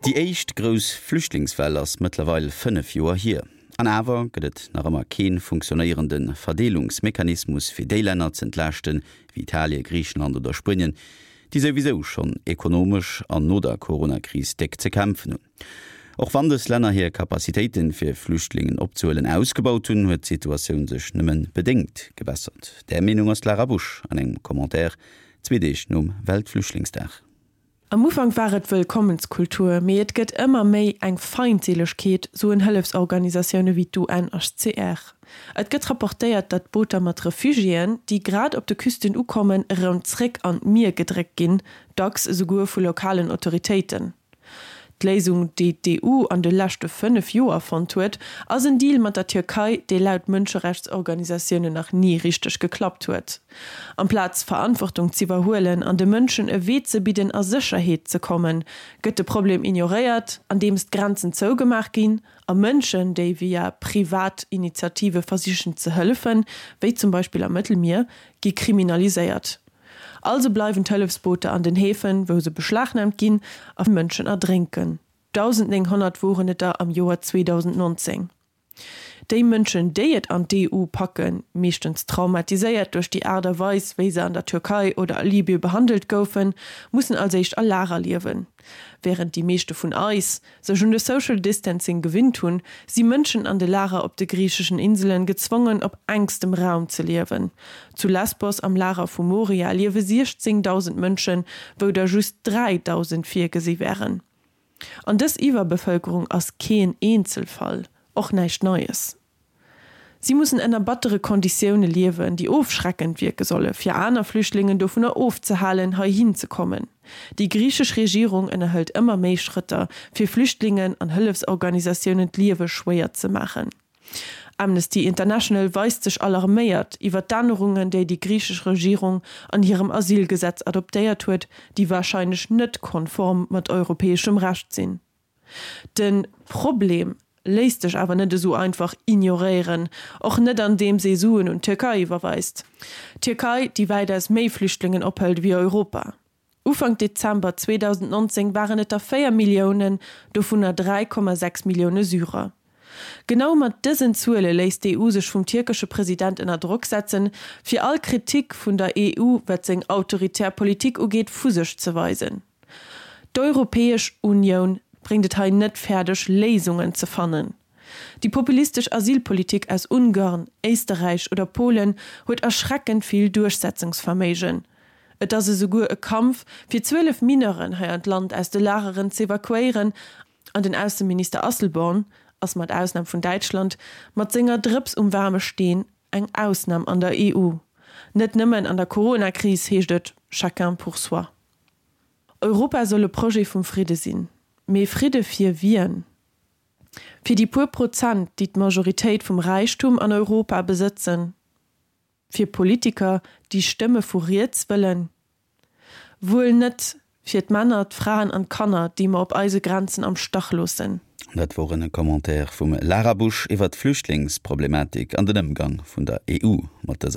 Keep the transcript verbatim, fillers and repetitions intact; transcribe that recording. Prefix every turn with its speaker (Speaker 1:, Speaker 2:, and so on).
Speaker 1: Déi éischt grouss Flüchtlingswell ass mëttlerweil fënnef Joer hier. An awer gëtt et nach ëmmer kee funktionéierende Verdeelungsmechanismus fir déi Länner z'entlaaschten, wéi Italien, Griichenland oder Spuenien, déi souwisou schonn ekonomesch an no der Coronakris déck ze kämpfen hunn. Och wann dës Länner hir Capacitéiten, fir Flüchtlingen opzehuelen, ausgebaut hunn, huet d'Situatioun sech nëmme bedéngt gebessert. Där Meenung ass d'Lara Busch an engem Commentaire zwee Deeg nom Weltflüchtlingsdag.
Speaker 2: Am Ufank war et Wëllkommenskultur, mee et gëtt ëmmer méi eng Feindseelegkeet, soen Hëllefsorganisatioune wéi d'UNHCR. Et gëtt rapportéiert, datt Booter mat Refugiéen, déi grad op de Küsten ukommen, erëm zréck an d'Mier gedréckt ginn, dacks esouguer vu lokalen Autoritéiten. D'Léisung, déi d'EU an de leschte fënnef Joer fonnt huet, ass en Deal mat der Tierkei, dee laut Mënscherechtsorganisatiounen nach ni richteg geklappt huet. Amplaz Verantwortung z'iwwerhuelen an de Mënschen e Wee ze bidden a Sécherheet ze kommen, gëtt de Problem ignoréiert, andeems d'Grenzen zougemaach ginn a Mënschen, déi via privat Initiative versichen ze hëllefen, wéi zum Beispill am Mëttelmier, gi kriminaliséiert. Also bleiwen d'Hëllefsbooter an den Häfen, wou se beschlagnaamt ginn a Mënschen erdrénken. dausendnénghonnert woren et der am Joer zweedausendnonzéng Déi Mënschen, déi et an d'EU packen, meeschtens traumatiséiert duerch déi Aart a Weis, wéi se an der Türkei oder a Libye behandelt goufen, mussen als éischt a Lager liewen. Wärend déi meeschte vun eis sech un de Social Distancing gewinnt hunn, si Mënschen an de Lager op de griicheschen Inselen gezwongen op enkstem Raum ze liewen. Zu Lesbos am Lager vu Moria liewe siechzéngdausend Mënschen, wou der just dräidausend virgesi wären. An dës Iwwerbevëlkerung ass keen Eenzelfall, och näischt Neies. Si mussen ënner battere Konditioune liewen, déi ofschreckend wierke solle fir aner Flüchtlingen dovunner ofzehalen, heihin ze kommen. Déi griichesch Regierung ënnerhëlt ëmmer méi Schrëtter, fir Flüchtlingen an Hëllefsorganisatiounen d'Liewe schwéier ze maachen. Amnesty International weist sech alarméiert iwwer d'Ännerungen, déi déi griichesch Regierung an hirem Asylgesetz adoptéiert huet, déi warscheinlech net konform mat europäeschem Recht sinn. De Problem léisst sech awer net esou einfach ignoréieren, och net andeems ee Suen un d'Tierkei iwwerweist. D'Tierkei, déi wäitaus méi Flüchtlingen ophëlt ewéi Europa. Ufank Dezember zweedausendnonzéng waren et der véier Milliounen, dovunner dräi Komma sechs Millioune Syrer. Genau mat dësen Zuele léisst d'EU sech vum tierkesche President ënner Drock setzen, fir all Kritik vun der EU, wat seng autoritär Politik ugeet, vu sech ze weisen. D'Europäesch Unioun bréngt et hei net fäerdeg, Léisungen ze fannen. Déi populistesch Asylpolitik aus Ungarn, Éisterräich oder Polen huet erschreckend vill Duerchsetzungsverméigen. Et ass esouguer e Kampf, fir zwielef Mineuren hei an d'Land aus de Lageren z'evakuéieren, an den Ausseminister Asselborn ass, mat Ausnam vun Däitschland, mat senger Drëps um waarme Steen eng Ausnam an der E U. Net nëmmen an der Corona-Kris heescht et chacun pour soi. Europa soll e Projet vum Fridde sinn. Mee Fridde fir wien? Fir déi puer Prozent, déi d'Majoritéit vum Räichtum an Europa besëtzen? Fir Politiker, déi Stëmme vu riets wëllen? Wuel net fir d'Männer, d'Fraen an d'Kanner, déi mer op eise Grenzen am Stach loossen.
Speaker 1: Dat wor en Commentaire vum Lara Busch iwwer d'Flüchtlingsproblematik an den Ëmgang vun der E U mat dëser.